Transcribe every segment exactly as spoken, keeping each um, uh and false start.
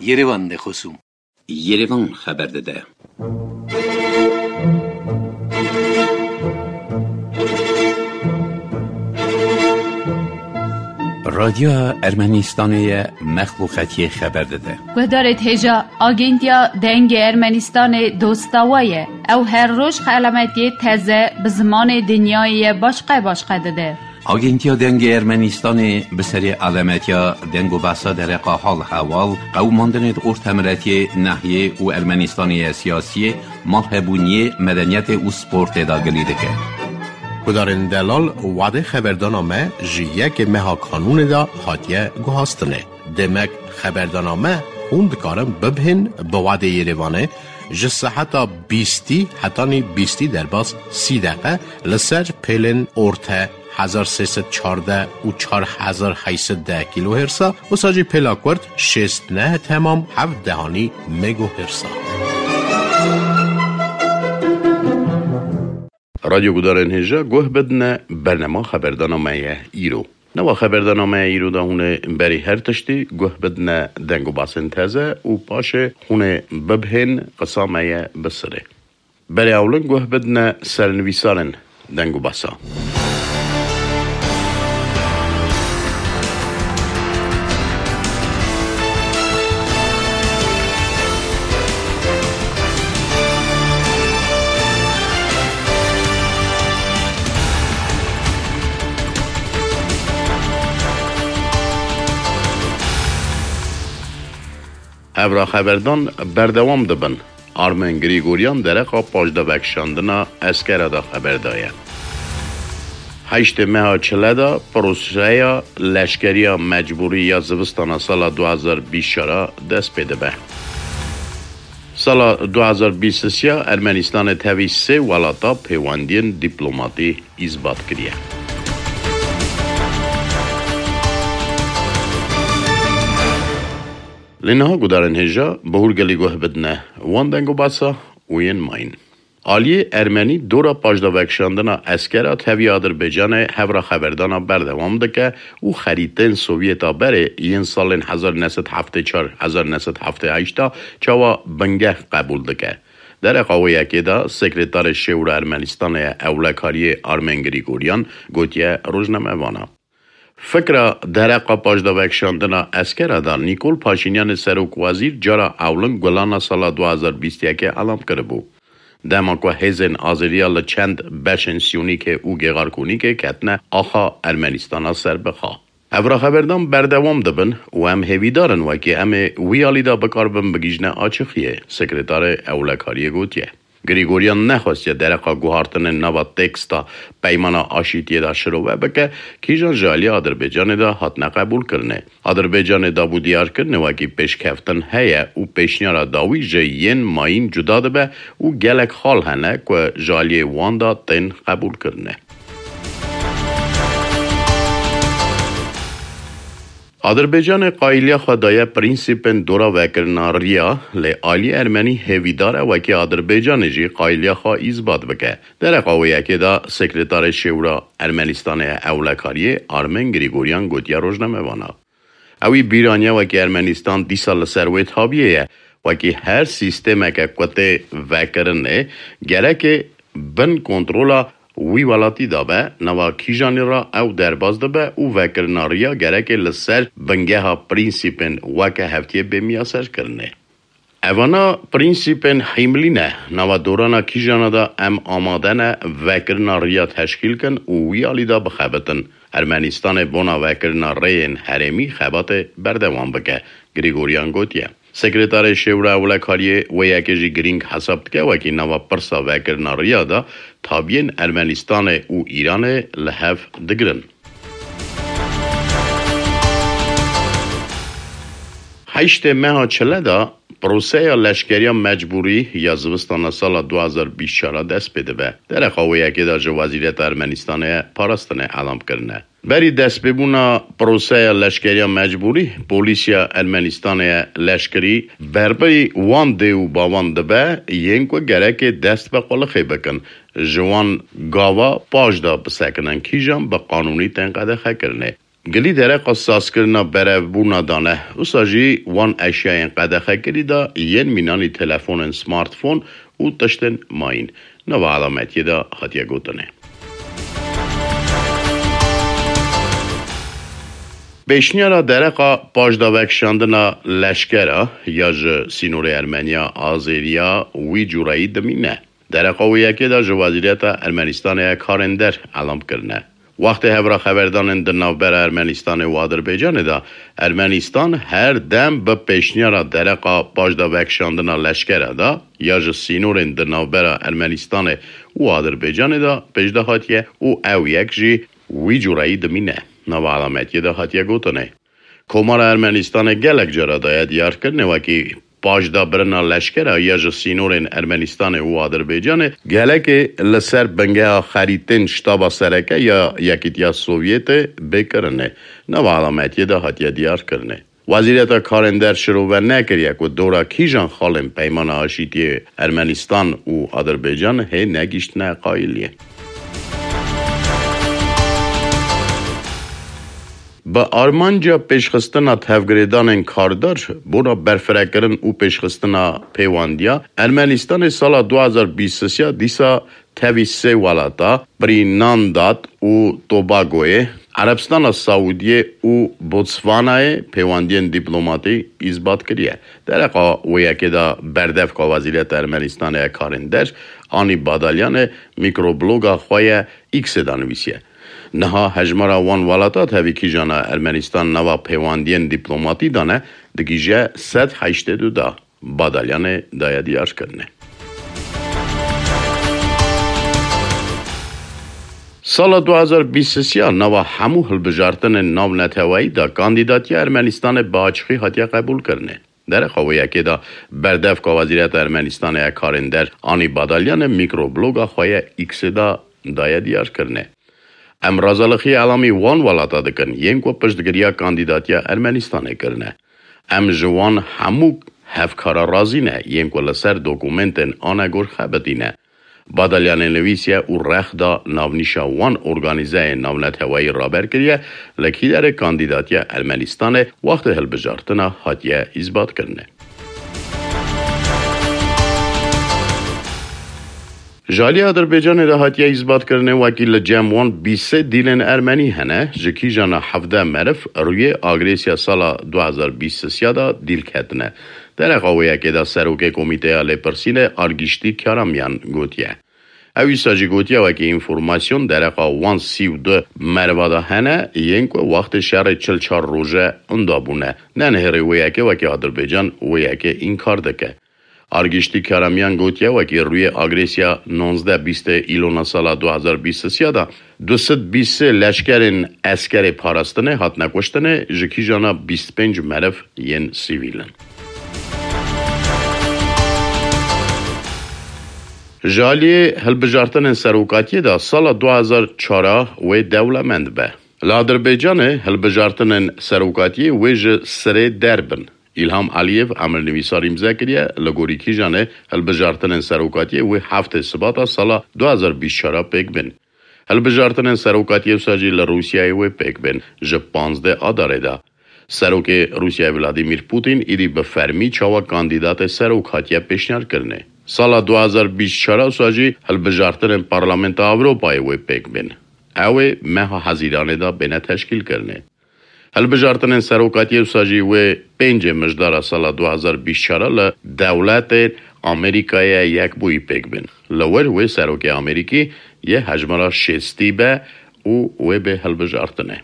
Yerevan de xosûm. Yerevan xeber dide. Radyoya Ermenistanê ye, mexluqetiyê xeber dide. Guhdarê hêja, Agentiya Dengê Ermenistanê dosta we ye. Ew her roj xelametiyê teze bi zimanê dinyayê ye başqe başqe dide. Agentiya Dengê Ermenistanê bi serê alemetiya deng û behsa dereqa hal hewal, qewimandinê di ortemiretiyê, nehiyê û Ermenistanê ye siyasiyê, malhebûniyê, medeniyetê û sportê de gilî dike. Gudarên delal, wadê xeberdana me ji yekê meha kanûnê de hatiye guhastinê. Demek xeberdana me hûn dikarin bibihên bi wadê Yerevanê ji seheta bîstî hetanî bîstî derbas sî deqe li ser pêlên orte hezar sê sed çardeh û çar hezar heyt sed deh kîlohêrsa, wisa jî pêla kurt şêst neh temam heft dehanî megohêrsa. Radyo gudarên hêja guh bidine, bernema xeberdana me ye îro. Nava xeberdana me ya îro de hûn ê berî her tiştî guh bidine deng û basên teze û paşê hûn ê bibihên qisa me ye bi sirê. Berê ewlin guh bidine sernivîsarên deng û basa. Hevra xeberdan berdewam dibin. Armen Grîgoryan dereqa paşdavekişandina eskera de xeber daye. Heştê meha çile de proseya leşkeriya mecbûrî ya zivistana sala du hazar bîst çar a dest pê dibe. Sala du hazar bîst sê ya Ermenistanê tevî sê welata pêwendiyên dîplomatî îsbat kiriye. Lê niha gudarên hêja bi hûrgilî guh bidine wan deng û basa û yên mayîn. Aliyê Ermenî dora paşdavekişandina eskera tevî Adirbaycanê hevra xeberdana berdewam dike û xerîtên Sovyeta berê yên salên hezar neh sed heftê çar hezar neh sed heftê heşt a çawa bingeh qebûl dike. Dereqa wê yekê de Sekretarê Şêwra Ermenistanê ye Ewlekariyê Armen Grîgoryan gotiye rojnamevana. Fikra dereqa paşdavekişandina eskera de Nîkol Paşînyanê serokwezîr cara ewlin Gulana sala du hazar bîst yekê elam kiribû. Dema ku hêzên azêriya li çend beşên Siyonîkê û Gêxarkonîkê ketine axa Ermenistana serbixwe. Hevra xeberdan berdewam dibin û em hêvîdar in wekî em ê wî alî de bikaribin bigihîjine açixiyê, Sekretarê Ewlekariyê gotiye. Grîgoryan nexwestiye dereqa guhartinên nava teksta Peymana Aşîtiyê de şirove bike, kîjan ji aliyê Adirbaycanê de hatine qebûlkirinê. Adirbaycanê dabûdiyarkirinê wekî pêşkeftin heye û pêşniyara dawî ji yên mayîn cuda dibe û gelek xal hene ku ji aliyê wan de tên qebûlkirinê. Adirbaycanê qayîliya xwe daye prensîpên dora vekirina riya, lê aliyê Ermenî hêvîdar e wekî Adirbaycanê jî qayîliya xwe îsbat bike. Dereqa wê yekê de Sekretarê Şêwra Ermenistanê ya Ewlekariyê Armen Grîgoryan gotiye rojnamevana. Ewî bîr aniye wekî Ermenistan dîsa li ser wê tabiyê ye. Wekî her sîstemeke ku tê vekirinê, gerekê bin kontrola wî welatî de be, nava kîjanî re ew derbas dibe û vekirina riya gerekê li ser bingeha prensîpên weke hevtiyê bê miyaserkirinê. Evana prensîpên hîmlî ne, nava dorana kîjana de em amade ne vekirina riya teşkîl kin û wî alî de bixebitin. Ermenistanê bona vekirina rêyên herêmî xebatê berdewam bike, Grîgoryan gotiye. Sekretarê Şêwra Ewlekariyê wê yekê jî girîng hesab dike wekî nava pirsa vekirina riya de tabiyên Ermenistanê û Îranê li hev digirin. Heştê meha çile de proseya leşkeriya mecbûrî ya zivistana sala du hazar bîst çar a dest pê dibe. Dereqa wê yekê de ji Wezîreta Ermenistanê ya Parastinê elam kirine. Berî destpêbûna proseya leşkeriya mecbûrî, polîsiya Ermenistanê ya leşkerî berpirî wan dê û bavan dibe, yên ku gerekê dest bi qulixê bikin, ji wan gava paş de bisekinin, kîjan bi qanûnî tên qedexekirinê. Gilî dereqa sazkirina berevbûna dane, wisa jî wan eşyayên qedexekirî de yên mînanî telefonên smartphone û tiştên mayîn. Nava elametiyê de hatiye gotinê. Pêşniyara dereqa paşdavekişandina leşkera ya ji sînorê Ermeniya Azêriya wî cûreyî dimîne. Dereqa wê yekê de ji Wezîreta Ermenistanê ya Karên Der elam kirine. Wextê hevra xeberdanên di navbera Ermenistanê û Adirbaycanê de, Ermenistan her dem bi pêşniyara dereqa paşdavekişandina leşkera de ya ji sînorên di navbera Ermenistanê û Adirbaycanê de pêş de hatiye û ew yek jî wî cûreyî dimîne. Nava elametiyê de hatiye gotinê. Komara Ermenistanê gelek cara daye diyarkirinê wekî paşdabirina leşkera ya ji sînorên Ermenistanê û Adirbaycanê gelekê li ser bingeha xerîtên Ştaba Sereke ya Yekîtiya Sovyetê bê kirinê. Nava elametiyê de hatiye diyarkirinê. Wezîreta Karên Der şirove nekiriye ku dora kîjan xalên Peymana Aşîtiyê Ermenistan û Adirbaycan hê negihiştine qayîliyê. Bi armanca pêşxistina tevgirêdanên kardar bona berfirekirin û pêşxistina pêwandiya, Ermenistanê sala du hazar bîst û sê dîsa tevî sê welata, Grînlanda û Tobagoyê, Erebistana Saûdiyê û Botswanayê pêwendiyên dîplomatî îsbat kiriye. Dereqa wê yekê de berdevka Wezîreta Ermenistanê ya Karên Der, Anî Badalyanê, mikrobloga xwe ya X-ê de nivîsiye. Niha hejmara wan welata tevî kîjana Ermenistan nava pêwendiyên dîplomatî dane digihîje sed heştê du da. Badalyanê daye diyarkirinê. Sala du hazar bîst û sê nava hemû hilbijartinên navneteweyî de kandîdatiya Ermenistanê bi açiqî hatiye qebûlkirinê. Dereqa wê yekê de berdevka Wezîreta Ermenistanê ya Karên Der Anî Badalyanê mikrobloga xwe ya X-ê de daye diyarkirinê. Em razalixiya elamî wan welata dikin, yên ku piştgiriya kandîdatiya Ermenistanê kirine. Em ji wan hemû hevkara razî ne, yên ku li ser dokumentên anegor xebitîne. Badalyanê nivîsiye û rex da navnîşa wan organîzeyên navneteweyî raber kiriye, li kîderê kandîdatiya Ermenistanê wextê hilbijartina hatiye îsbatkirinê. Ji alî Adirbaycanê de hatiye îsbatkirinê wekî li cem wan bîst sê dîlên ermenî hene, ji kîjana hevdeh meriv rûyê agresiya sala du hazar bîst û sê de dîl ketine. Dereqa wê yekê de serokê Komîteya Lêpirsînê Argiştî Karamyan gotiye. Ew îsa jî gotiye wekî înformasyon dereqa wan sî û du meriva de hene, yên ku wextê şerê çil çar roje inda bûne. Nenihêrê wê yekê wekî Adirbaycan wê yekê înkar dike. Argiştî Karamyan gotiye wekî rûyê agresiya nonzdeh bîstê îlona sala du hazar bîst û sê de du sed bîst sê leşkerên eskerê parastinê hatine kuştinê, ji kîjana bîst pênc meriv yên sivîl in. Ji aliyê hilbijartinên serokatiyê de sala du hazar çar wê dewlemend be. Li Adirbaycanê hilbijartinên serokatiyê wê ji sirê derbin. Îlham Aliyev emrnivîsar îmze kiriye, li gorî kîjanê hilbijartinên serokatiyê wê heftê Sibata sala du hazar bîst çar pêk bên. Hilbijartinên serokatiyê wisa jî li Rûsyayê wê pêk bên, ji panzdeh Adarê de. Serokê Rûsyayê Vladimir Putin îdî bi fermî çawa kandîdatê serok hatiye pêşniyarkirinê. Sala du hazar bîst çar wisa jî hilbijartinên Parlamenta Ewropayê wê pêk bên. Ew ê meha Hezîranê de bêne teşkîlkirinê. Hilbijartinên serokatiyê wisa jî wê pêncê Mijdara sala du hazar bîst çar li dewletên Amerîkayê Yekbûyî pêk bên. Li wir wê serokê Amerîkî yê hejmara şêstî be û wê bê hilbijartinê.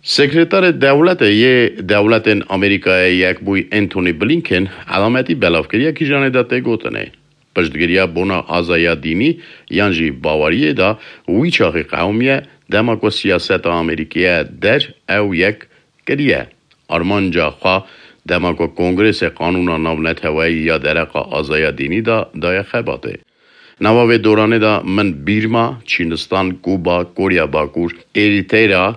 Sekreterê Dewletê yê Dewletên Amerîkayê Yekbûyî Antony Blinken elametî belav kiriye kîjanê de tê gotinê. Piştgiriya bona azaya dînî yan jî baweriyê de wî çaxî qewimiye, dema ku siyaseta Amerîkî ya der ew yek kiriye. Armanca xwe dema ku Kongresê Qanûna Navneteweyî ya dereqa azaya dînî de daye xebatê. Nava vê doranê de min Bîrma, Çînistan, Kuba, Korya Bakur, Erîtera,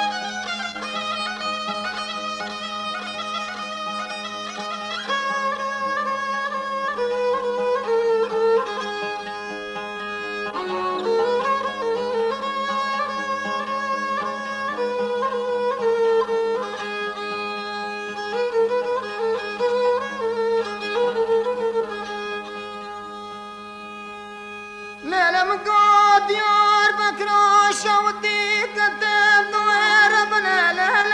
Lelem go Diyarbekir şewdî ketim duêr bine. Lelem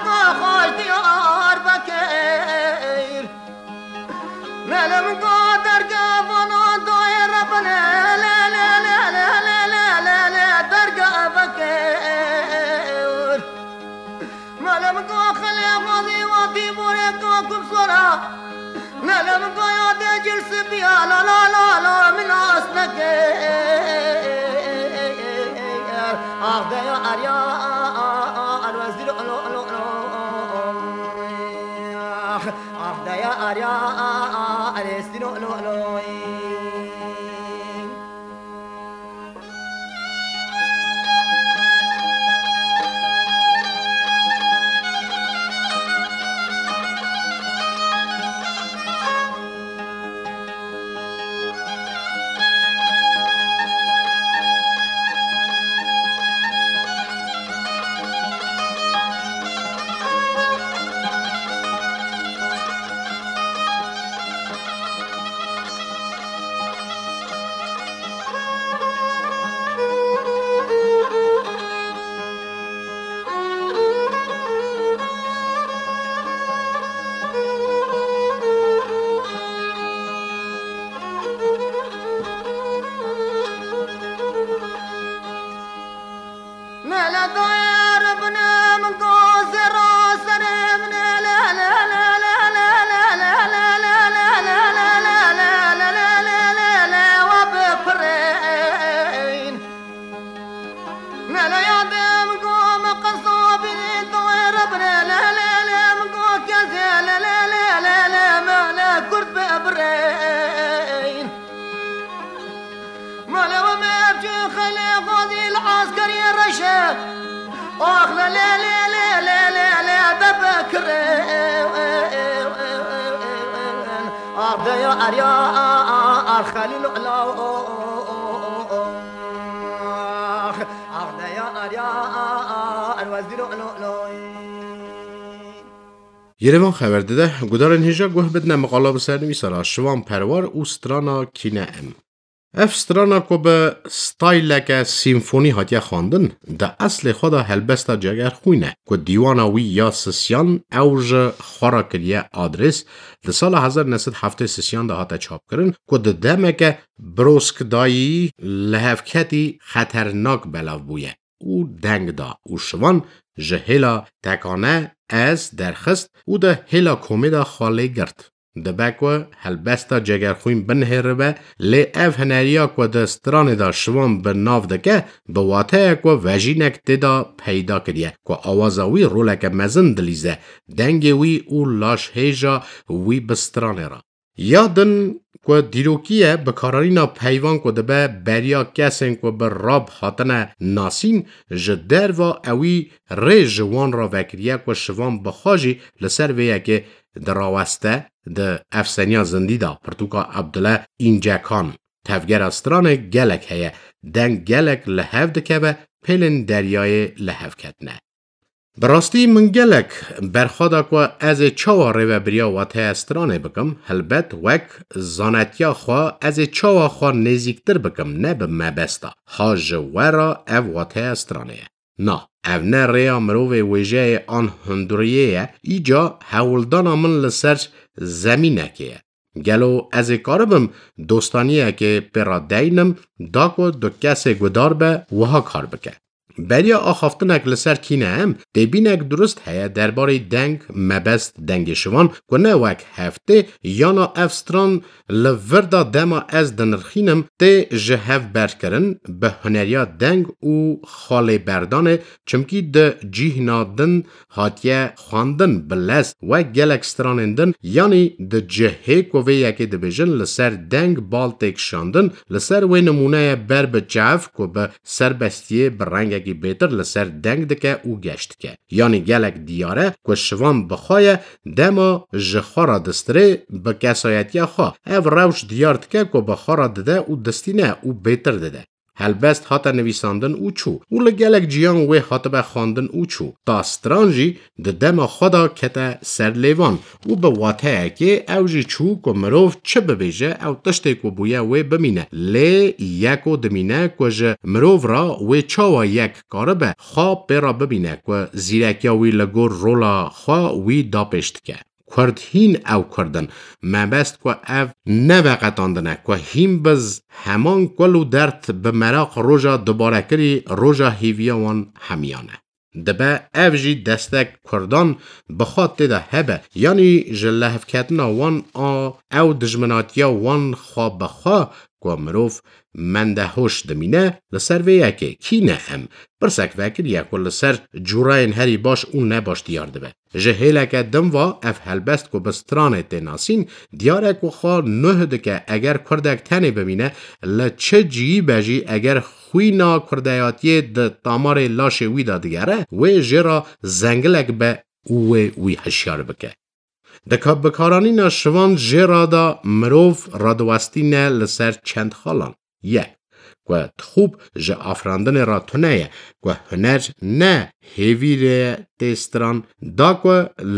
go xweş Diyarbekir. Lelem go dergevana duêr bine. Dergevekir. Mele min go xelê xwezî watî borê ka kum sora. Mele min go ya de cil sibiya la la la la min nas neke. Ah de ya arya arwezî lo lo lo lo. Ah de ya arya arwezî lo lo lo. Mele dayar binem gozera serim ne le le le le le le le le le le le le le le le le le le le wa bipirin. Mele yadim go me qesabî dayar bine le le le min go keze le le le le le mele kurd bibirin. Mala we mevcû xelê xwedî li eskeriyê reşe. Ax le le le le le le le debekire. Ax deya erya ar xelîl ila. Ax deya erya ar wezîr ilo. Yerevan xeber dide, gudarên hêja guh bidine miqala bi sernivîsa re Şivan Perwar û strana Kîne Em. Ev strana ku bi stayleke sîmfonî hatiye xwendin, di eslê xwe de helbesta Cegerxwîn e, ku dîwana wî ya sisiyan ew ji xwe re kiriye adres, di sala hezar neh sed heftê sisiyan de hate çapkirin, ku di demeke birozkdayî lihevketî xeternak belav bûye û deng da û Şivan ji hêla tekane ez derxist û di hêla komê de xwe lê girt. Dibe ku helbesta Cegerxwîn binihêribe, lê ev huneriya ku di stranê de Şivan bi nav dike, bi wateya ku vejînek tê de peyda kiriye, ku awaza wî roleke mezin dilîze, dengê wî û lajhêja wî bi stranê re. Ya din ku dîrokî ye, bikaranîna peyvan ku dibe beriya kesên ku bi rap hatine nasîn, ji derva ewî rê ji wan re vekiriye ku Şivan bi xwe jî li ser vê yekê diraweste, di efseniya zindî de pirtûka Abdullah Încekan. Tevgera stranê gelek heye, deng gelek li hev dikeve, pêlên deryayê li hev ketine. Bi rastî min gelek berxwe da ku ez ê çawa rêvebiriya wateya stranê bikim, helbet wek zanetiya xwe ez ê çawa xwe nêzîktir bikim, ne bi mebesta. Ha ji we re ev wateya stranê ye. Na, ev ne rêya mirovê wêjeyê an hundiriyê ye, îca hewldana min li ser zemînekê ye. Gelo ez ê karibim dostaniyekê pê re deynim, da ku du kesê gudar be wiha kar bike? Beriya axaftinek li ser Kîne Em, têbînek durist heye derbarê deng, mebest, dengê Şivan, ku ne wek heftê yana ev stran li vir de dema ez dinirxînim, tê ji hev berkirin, bi huneriya deng û xalê berdanê, çimkî di cîhna din hatiye xwendin bi lez, wek gelek stranên din, yanî di cihê ku vê yekê dibêjin li ser deng bal tê kişandin, li ser wê nimûneye ber bi çav ku bi serbestiyê bi rengekî bêtir li ser deng dike û geş dike. Yanî gelek diyar e ku Şivan bi xwe ye, dema ji xwe re distirê bi kesayetiya xwe. Ev rewş diyar dike ku bi xwe re dide û distîne û bêtir dide. Helbest hate nivîsandin û çû û li gelek ciyan wê hatibe xwendin û çû. Ta stran jî di dema xwe de kete ser lêvan û bi wateyekê ew jî çû ku mirov çi bibêje, ew tiştê ku bûye wê bimîne. Lê yeko dimîne ku ji mirov re wê çawa yek karibe xwe pê re bimîne, ku zîrekiya wî li gor rola xwe wî dapêş dike. Kurd hîn ew Kurd in. Mebest ku ev ne veqetandin e, ku hîn bi z-, heman kul û derd bi meraq roja dubarekirî roja hêviya wan hemiyan e. Dibe ev jî destek Kurdan bi xwe tê de hebe, yanî ji lehevketina wan a ew dijminatiya wan xwe bi xwe ku mirov mendehoş dimîne li ser vê yekê. Kî ne em? Pirsek vekiriye ku li ser cûreyên herî baş û nebaş diyar dibe. Ji hêleke din ve ev helbest ku bi stranê tê nasîn, diyar e ku xwe nuh dike, eger kurdek tenê bimîne, li çi cihî be jî, eger xwîna kurdeyatiyê di tamarê laşê wî de digere, wê jê re zengilek be û wê wî hişyar bike. Di ka-, bikaranîna şivan jê re de mirov radiwestîne li ser çend xalan. Yek, ku dixûb ji afirandinê re tune ye, ku huner ne hêvîrê tê stran, da ku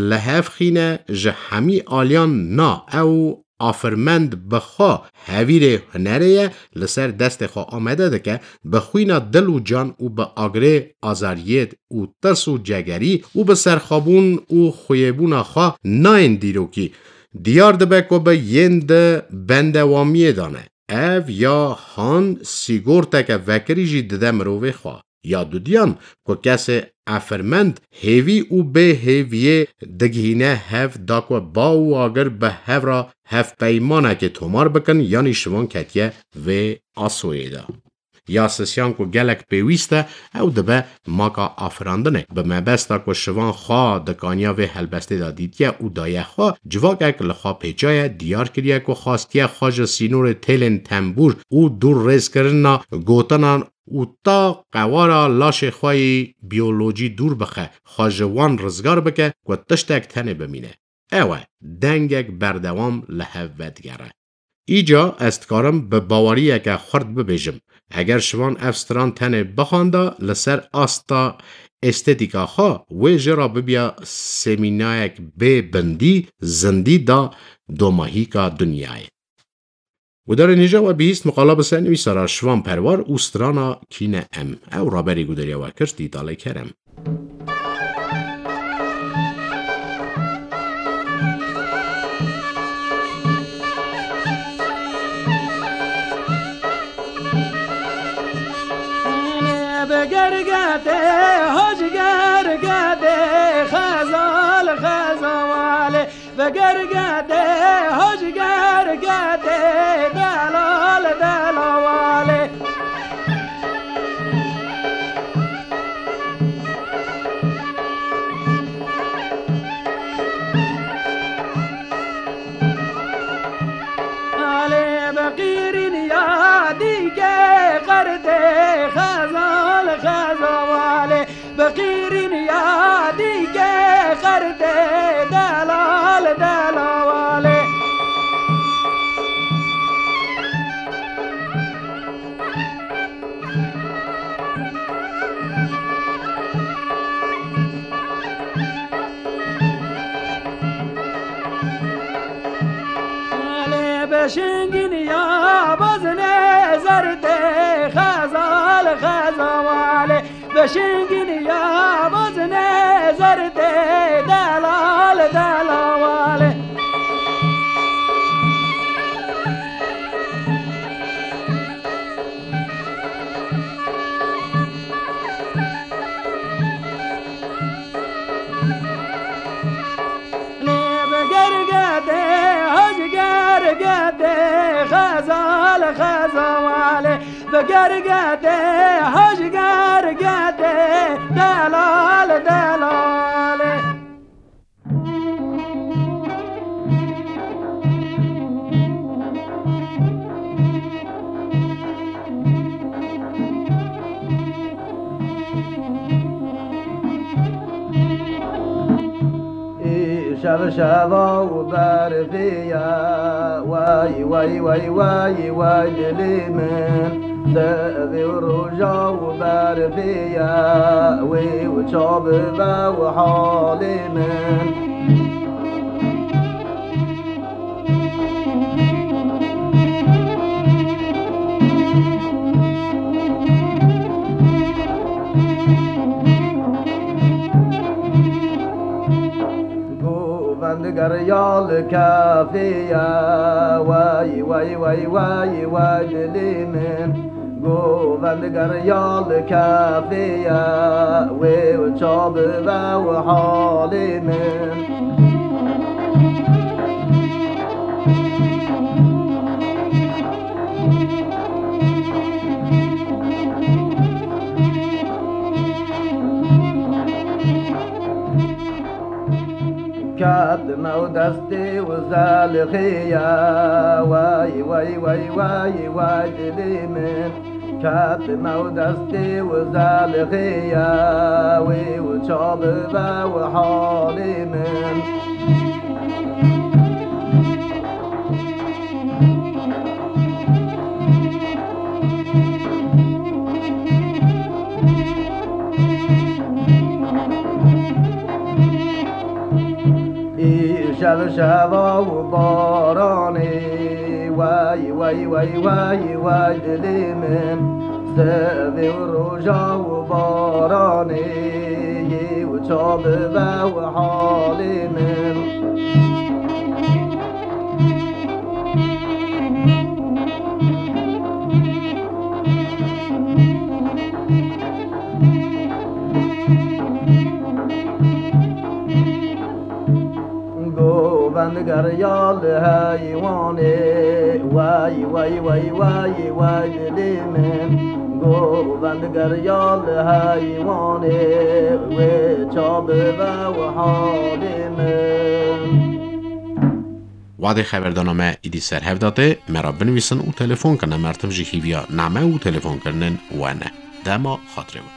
li hev xîne ji hemî aliyan na ew afirmend bi xwe hevîrê hunerê ye, li ser destê xwe amede dike, bi xwîna dil û can û bi agirê azariyê û tirs û cegerî û bi serxwebûn û xuyêbûna xwe nayên dîrokî. Diyar dibe ku bi yên di bendewamiyê de ne. Ev ya han sîgorteke vekirî jî dide mirovê xwe. Ya dudiyan ku kesê efirmend hêvî û bê hêviyê digihîne hev da ku ba û agir bi hev re hevpeymanekê tomar bikin, yanî şivan ketiye vê asoyê de. Ya sisiyan ku gelek pêwîst e, ew dibe maka afirandinê. Bi mebesta ku şivan xwe di kaniya vê helbestê de dîtiye û daye xwe, civakek li xwe pêçaye, diyar kiriye ku xwastiye xwe ji sînorê têlên tembûr û dûrrêzkirina gotinan û ta qewara laşê xwe yî biyolojî dûr bixe, xwe ji wan rizgar bike ku tiştek tenê bimîne. Ew e, dengek berdewam li hev vedigere. Îca ez dikarim bi baweriyeke xurt bibêjim, eger şivan ev stran tenê bixwanda li ser asta estetîka xwe, wê jê re bibiya semînayek bê bindî, zindî da domahîka dinyayê. Gudarê nîja we bihîst miqala bi ser nivîsara Şivan Perwar û strana Kî ne em. Ew raberî gudariya we kir Dîtalê Kerem. Bi gergedê, hoj gergedê, xezal xezawalê. Bi gergedê, hoj gergedê, delal delawalê. Alê bi qîrîn ya dîke qerdê, xezal xezawalê. Bi qîrîn ya dîke qerdê, delal delawalê. Alê bi şingîn ya bazine zerdê, xezal xezawalê. Bi şingîn ya bazine zerdê, delal delawalê. Lê bi gergedê, hoj gergedê, xezal xezawalê. Bi gergedê, hoj gergedê, delal delalê. Îşev şeva û berfî ye, we Way, way, way, way, way dilê min, sivê û roja û berfê ye, wê û ça bibe û halê min. Govend geriya li kefê ye, wey, wey, wey, wey, wey dilê min. Govend geriya li kefê ye, wê û ça bibe û halê min. Ketime û destê û zelixê ye, wey, wey, wey, wey, wey dilê min. Ketime û destê û zelixê ye, wê û ça bibe û halê min. Îşev şeva û baranê, wey, wey, wey, wey, wey dilê min. Sivê û roja û baranê, yê û ça bibe û halê min. Govend geriya li heywanê, wey, wey, wey, wey, wey dilê min. Govend geriya li heywanê, wê ça bibe û halê min. Wadê xeberdana me îdî ser hev date, me re binivîsin û telefon kirine, mertim jî hîviya name û telefonkirinên we ne. Dema xatirê we.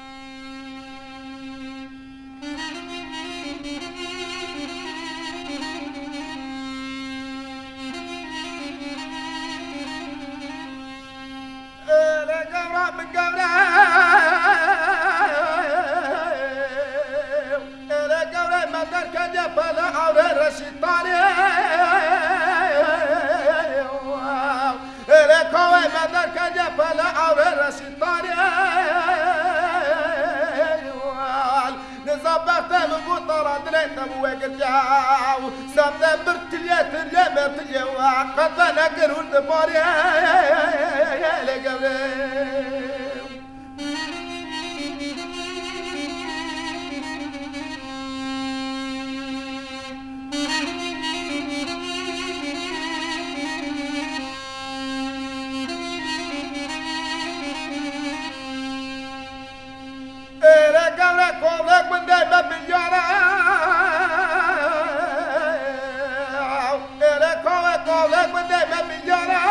Êlê gewra min gewre, êlê gewre me derketiye pele ewrê reşîtanê. Êlê kawê me derketiye pele ewrê reşîtanê. Nizam bextê min bû tara dilê te bû wegirtiya. Sem te bir tiliye tiliye me tiliye wa qete nekir hûn dibarê. Lê gewrê. Êre gewre kovlek min de me milyara. Êre kove kovlek min de me milyara.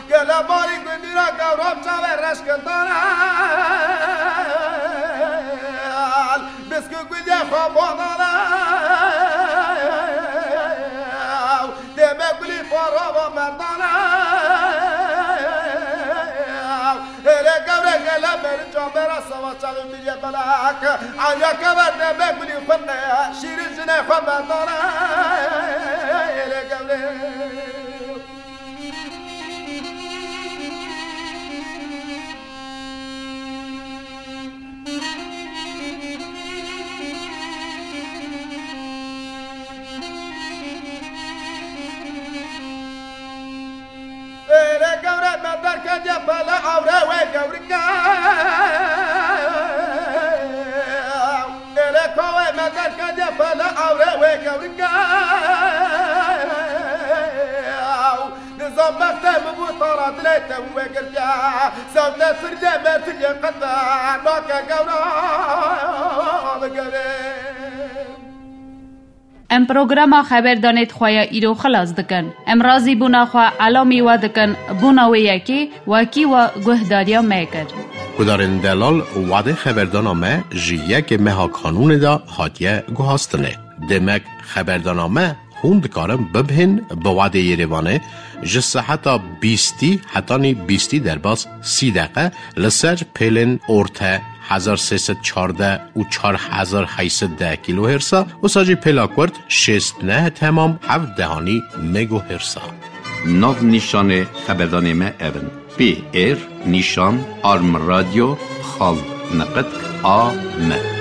Gele barî gundîra gewra çavê reşkindana. Biskû gulê xwe badana. Deme gulî parava merdana. Êre gewre gele meri camera sava çavê miriye belak. Anya keve deme gulî xwe ne. Şîrî jine xwe merdana. Êre gewre. Êre gewre me derketiye pele ewre wê gewrike. Êre kawê me derketiye pele ewre wê gewrike. Nizam bextê min bû tara dilê te wê girtiya. Sewte tirye me tirye qete nake gewra bi gewrê. Em programa xeberdanê di xwe ya îro xilas dikin. Em razîbûna xwe elamî we dikin, bûna wê yekê wekî we guhdariya me kir. Gudarên delal, wadê xeberdana me ji yekê meha Kanûnê de hatiye guhastinê. Demek xeberdana me Hûn dikarin bibihên bi wadê Yerêvanê ji seheta bîstî hetanî bîstî derbas sî deqe li ser pêlên orte hezar sê sed çardeh û çar hezar heyt sed deh kîlohêrsa, wisa jî pêla kurt şêst neh temam heft dehanî megohêrsa. Nav nîşanê xeberdanê me ev in: P R nîşan arm radyo xal niqitk A M.